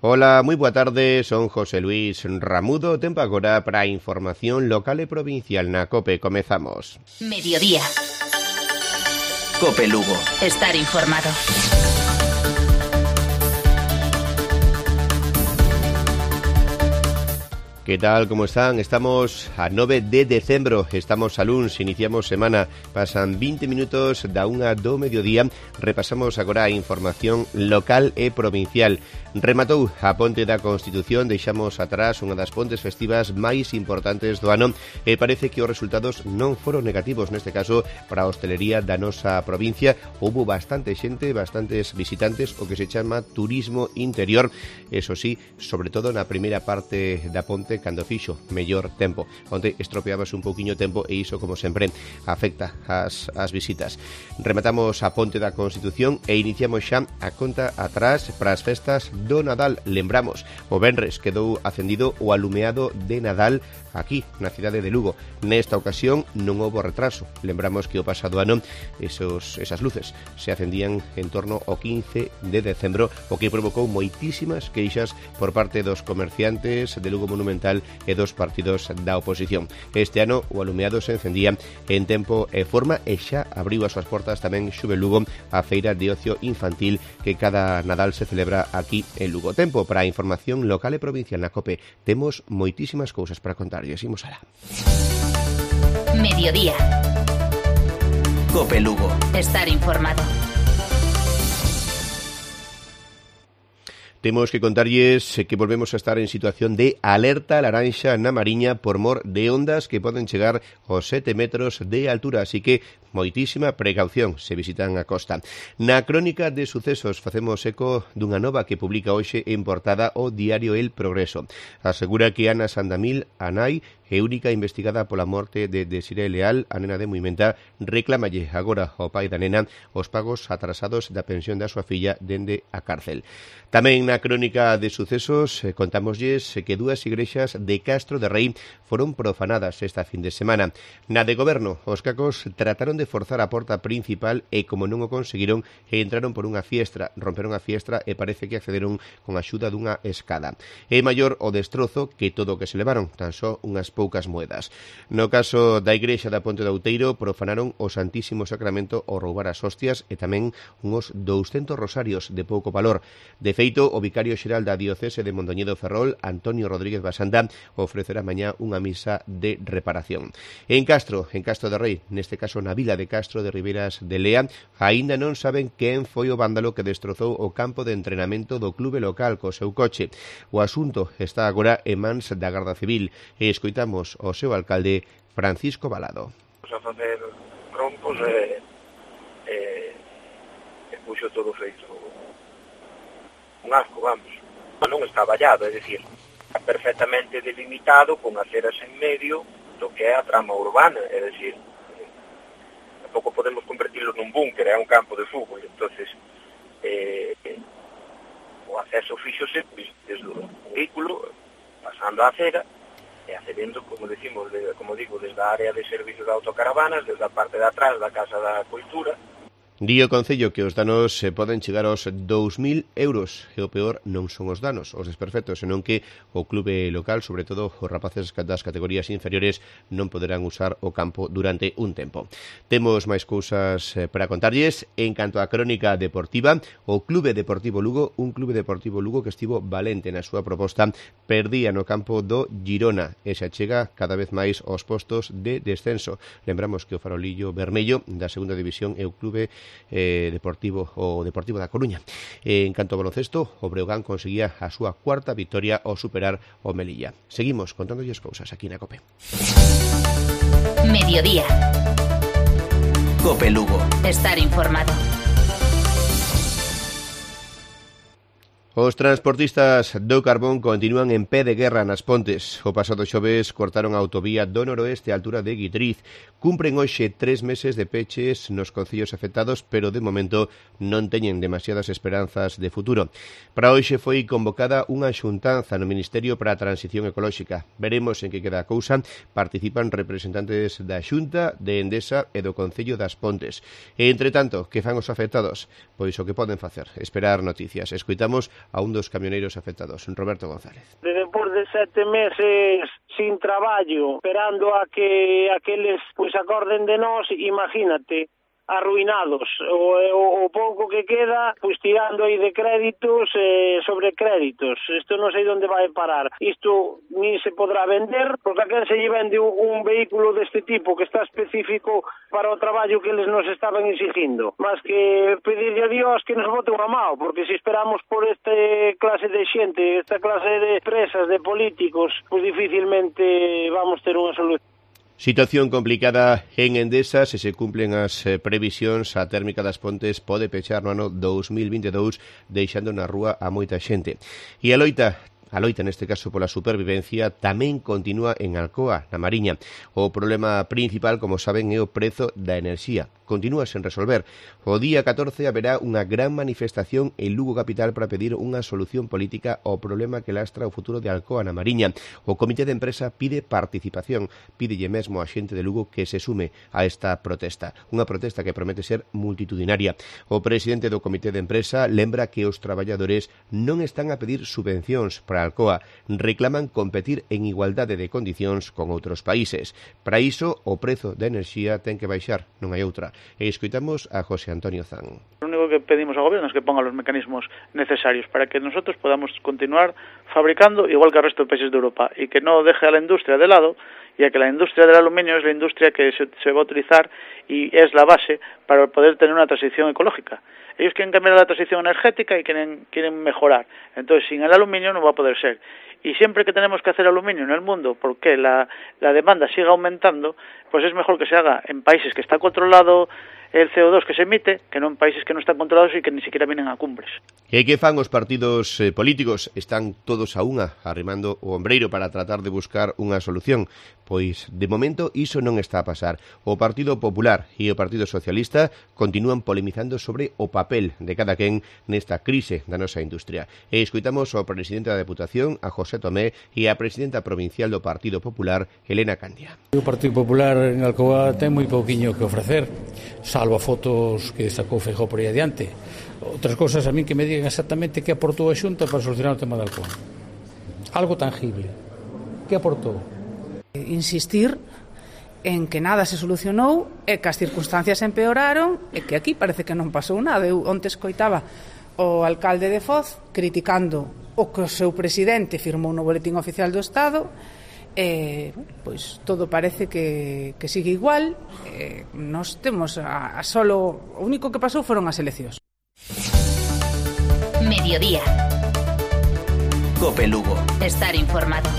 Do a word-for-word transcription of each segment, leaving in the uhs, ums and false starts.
Ola, moi boa tarde, son José Luis Ramudo, tempo agora para a información local e provincial na COPE. Comezamos. Mediodía. COPE Lugo. Estar informado. Que tal, como están? Estamos a nove de decembro, estamos a luns, iniciamos semana, pasan vinte minutos da unha do mediodía, repasamos agora a información local e provincial. Rematou a Ponte da Constitución, deixamos atrás unha das pontes festivas máis importantes do ano e parece que os resultados non foron negativos, neste caso para a hostelería da nosa provincia. Houbo bastante xente, bastantes visitantes, o que se chama turismo interior, eso sí, sobre todo na primeira parte da ponte, cando fixo mellor tempo. Onte estropeábase un pouquiño o tempo e iso, como sempre, afecta as, as visitas. Rematamos a Ponte da Constitución e iniciamos xa a conta atrás para as festas do Nadal. Lembramos, o venres quedou acendido o alumeado de Nadal aquí, na cidade de Lugo. Nesta ocasión non houbo retraso. Lembramos que o pasado ano esos, esas luces se acendían en torno ao quince de decembro, o que provocou moitísimas queixas por parte dos comerciantes de Lugo Monumental e dos partidos da oposición. Este ano o alumeado se encendía en tempo e forma e xa abriu as súas portas tamén Xuve Lugo, a feira de ocio infantil que cada Nadal se celebra aquí en Lugo. Tempo para a información local e provincial na COPE. Temos moitísimas cousas para contar. Imos alá. Mediodía. COPE Lugo. Estar informado. Temos que contarlles que volvemos a estar en situación de alerta laranxa na Mariña por mor de ondas que poden chegar aos sete metros de altura, así que moitísima precaución se visitan a costa. Na crónica de sucesos facemos eco dunha nova que publica hoxe en portada o diario El Progreso. Asegura que Ana Sandamil, a nai, e única investigada pola morte de Desiré Leal, a nena de Muimenta, reclamalle agora ao pai da nena os pagos atrasados da pensión da súa filla dende a cárcel. Tamén na crónica de sucesos eh, contámoslles que dúas igrexas de Castro de Rei foron profanadas esta fin de semana. Na de goberno, os cacos trataron de forzar a porta principal e, como non o conseguiron, entraron por unha fiestra, romperon a fiestra e parece que accederon con a axuda dunha escada. É maior o destrozo que todo o que se levaron, tan só unhas poucas moedas. No caso da igrexa da Ponte do Outeiro, profanaron o Santísimo Sacramento ao roubar as hostias e tamén uns douscentos rosarios de pouco valor. De feito, o vicario xeral da diocese de Mondoñedo Ferrol, Antonio Rodríguez Basanda, ofrecerá mañá unha misa de reparación. En Castro, en Castro de Rei, neste caso na vila de Castro de Ribeiras de Lea, aínda non saben quen foi o vándalo que destrozou o campo de entrenamento do clube local co seu coche. O asunto está agora en mans da Garda Civil e escoitamos o seu alcalde, Francisco Balado. A facer rompos e, e, e puxo todo feito un asco, vamos. Non está vallado, é dicir, está perfectamente delimitado con aceras en medio do que é a trama urbana, é dicir, tampouco podemos convertirlo nun búnker, é un campo de fútbol, entonces eh, o acceso fíxose desde o vehículo, pasando a acera, e accedendo, como decimos, de, como digo, desde a área de servicio de autocaravanas, desde a parte de atrás da Casa da Cultura. Di o Concello que os danos se poden chegar aos dous mil euros e o peor non son os danos, os desperfectos, senón que o clube local, sobre todo os rapaces das categorías inferiores, non poderán usar o campo durante un tempo. Temos máis cousas para contarlles. En canto á crónica deportiva, o Clube Deportivo Lugo, un Clube Deportivo Lugo que estivo valente na súa proposta, perdía no campo do Girona e se achega cada vez máis aos postos de descenso. Lembramos que o farolillo vermello da segunda división é o Clube Eh, deportivo o Deportivo da Coruña. Eh, en canto ao baloncesto, o Breogán conseguía a súa cuarta victoria ao superar o Melilla. Seguimos contándolles cousas aquí na COPE. Mediodía. COPE Lugo. Estar informado. Os transportistas do carbón continúan en pé de guerra nas pontes. O pasado xoves cortaron a autovía do noroeste á altura de Guitriz. Cumpren hoxe tres meses de peches nos concellos afectados, pero de momento non teñen demasiadas esperanzas de futuro. Para hoxe foi convocada unha xuntanza no Ministerio para a Transición Ecolóxica. Veremos en que queda a cousa. Participan representantes da Xunta, de Endesa e do Concello das Pontes. E, entre tanto, que fan os afectados? Pois o que poden facer, esperar noticias. Escoitamos a un dos camioneiros afectados. Roberto González. Despois de sete meses sin traballo, esperando a que aqueles pois acorden de nós, imagínate, arruinados, o, o, o pouco que queda, pois tirando aí de créditos eh, sobre créditos. Isto non sei onde vai parar. Isto ni se podrá vender, porque a quen se lle vende un, un vehículo deste tipo que está específico para o traballo que eles nos estaban exigindo. Mas que pedirle a Dios que nos bote unha mao, porque se esperamos por este clase de xente, esta clase de empresas, de políticos, pois dificilmente vamos ter unha solución. Situación complicada en Endesa. Se se cumplen as eh, previsións, a térmica das Pontes pode pechar no ano dos mil vinte e dous, deixando na rúa a moita xente. E a loita A loita, neste caso, pola supervivencia, tamén continúa en Alcoa, na Mariña. O problema principal, como saben, é o prezo da enerxía. Continúa sen resolver. O día catorce haberá unha gran manifestación en Lugo capital para pedir unha solución política ao problema que lastra o futuro de Alcoa, na Mariña. O comité de empresa pide participación. Pídelle mesmo a xente de Lugo que se sume a esta protesta. Unha protesta que promete ser multitudinaria. O presidente do comité de empresa lembra que os traballadores non están a pedir subvencións para Alcoa, reclaman competir en igualdade de condicións con outros países. Para iso, o prezo da enerxía ten que baixar, non hai outra. E escoitamos a José Antonio Zan. Lo único que pedimos ao gobierno es que ponga los mecanismos necesarios para que nosotros podamos continuar fabricando igual que el resto de países de Europa y que no deje a la industria de lado, ya que la industria del aluminio es la industria que se, se va a utilizar y es la base para poder tener una transición ecológica. Ellos quieren cambiar la transición energética y quieren, quieren mejorar. Entonces, sin el aluminio no va a poder ser. Y siempre que tenemos que hacer aluminio en el mundo, porque la, la demanda siga aumentando, pues es mejor que se haga en países que está controlado el C O dos que se emite, que non en países que non están controlados e que ni siquiera vienen a cumbres. E que fan os partidos eh, políticos? Están todos a unha, arrimando o ombreiro para tratar de buscar unha solución. Pois, de momento, iso non está a pasar. O Partido Popular e o Partido Socialista continúan polemizando sobre o papel de cada quen nesta crise da nosa industria. E escoitamos ao presidente da Deputación, a José Tomé, e a presidenta provincial do Partido Popular, Elena Candia. O Partido Popular en Alcoa ten moi pouquiño que ofrecer, salvo a fotos que sacou Feijóo por aí adiante. Outras cousas a min que me digan exactamente que aportou a Xunta para solucionar o tema de Alcoa. Algo tangible. Que aportou? Insistir en que nada se solucionou e que as circunstancias empeoraron e que aquí parece que non pasou nada. Eu onte escoitaba o alcalde de Foz criticando o que o seu presidente firmou no Boletín Oficial do Estado. Eh, pois todo parece que, que sigue igual. Eh, nos temos a, a solo o único que pasou foron as eleccións. Mediodía. Cope Lugo. Estar informado.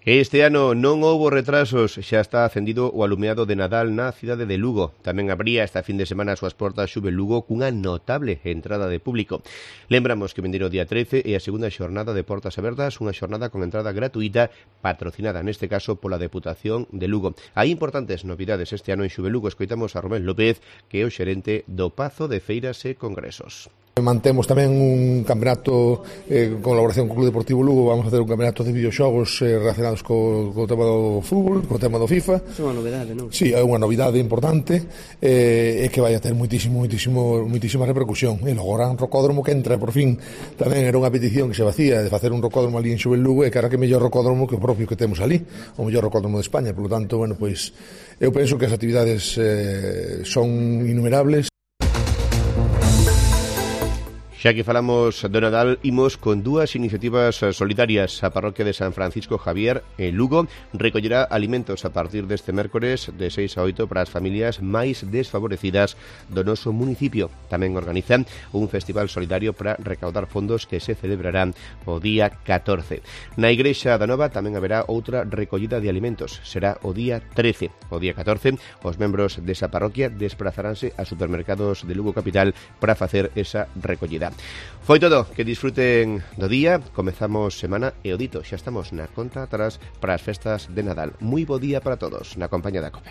Este ano non houbo retrasos, xa está acendido o alumeado de Nadal na cidade de Lugo. Tamén abría esta fin de semana as súas portas Xuve Lugo cunha notable entrada de público. Lembramos que venderon o día trece e a segunda xornada de portas abertas, unha xornada con entrada gratuita patrocinada neste caso pola Deputación de Lugo. Hai importantes novidades este ano en Xuve Lugo. Escoitamos a Romén López, que é o xerente do Pazo de Feiras e Congresos. Mantemos tamén un campeonato eh, en colaboración co Club Deportivo Lugo. Vamos a hacer un campeonato de videoxogos eh, relacionados co, co tema do fútbol, co tema do FIFA. É unha novidade, non? Sí, é unha novidade importante eh, e que vai a ter moitísimo, moitísimo, moitísima repercusión. E logo gran rocódromo que entra, por fin, tamén era unha petición que se vacía de facer un rocódromo ali en Xuve Lugo, e que era que mellor rocódromo que o propio que temos ali, o mellor rocódromo de España. Por lo tanto, bueno, pois eu penso que as actividades eh, son innumerables. Xa que falamos do Nadal, imos con dúas iniciativas solidarias. A parroquia de San Francisco Javier, en Lugo, recollerá alimentos a partir deste mércores de seis a oito para as familias máis desfavorecidas do noso municipio. Tamén organizan un festival solidario para recaudar fondos que se celebrarán o día catorce. Na Igrexa da Nova tamén haberá outra recollida de alimentos. Será o día trece. O día catorce, os membros desa parroquia desplazaránse a supermercados de Lugo Capital para facer esa recollida. Foi todo, que disfruten do día. Comezamos semana e o dito, xa estamos na conta atrás para as festas de Nadal. Moi bo día para todos, na compañía da Cope.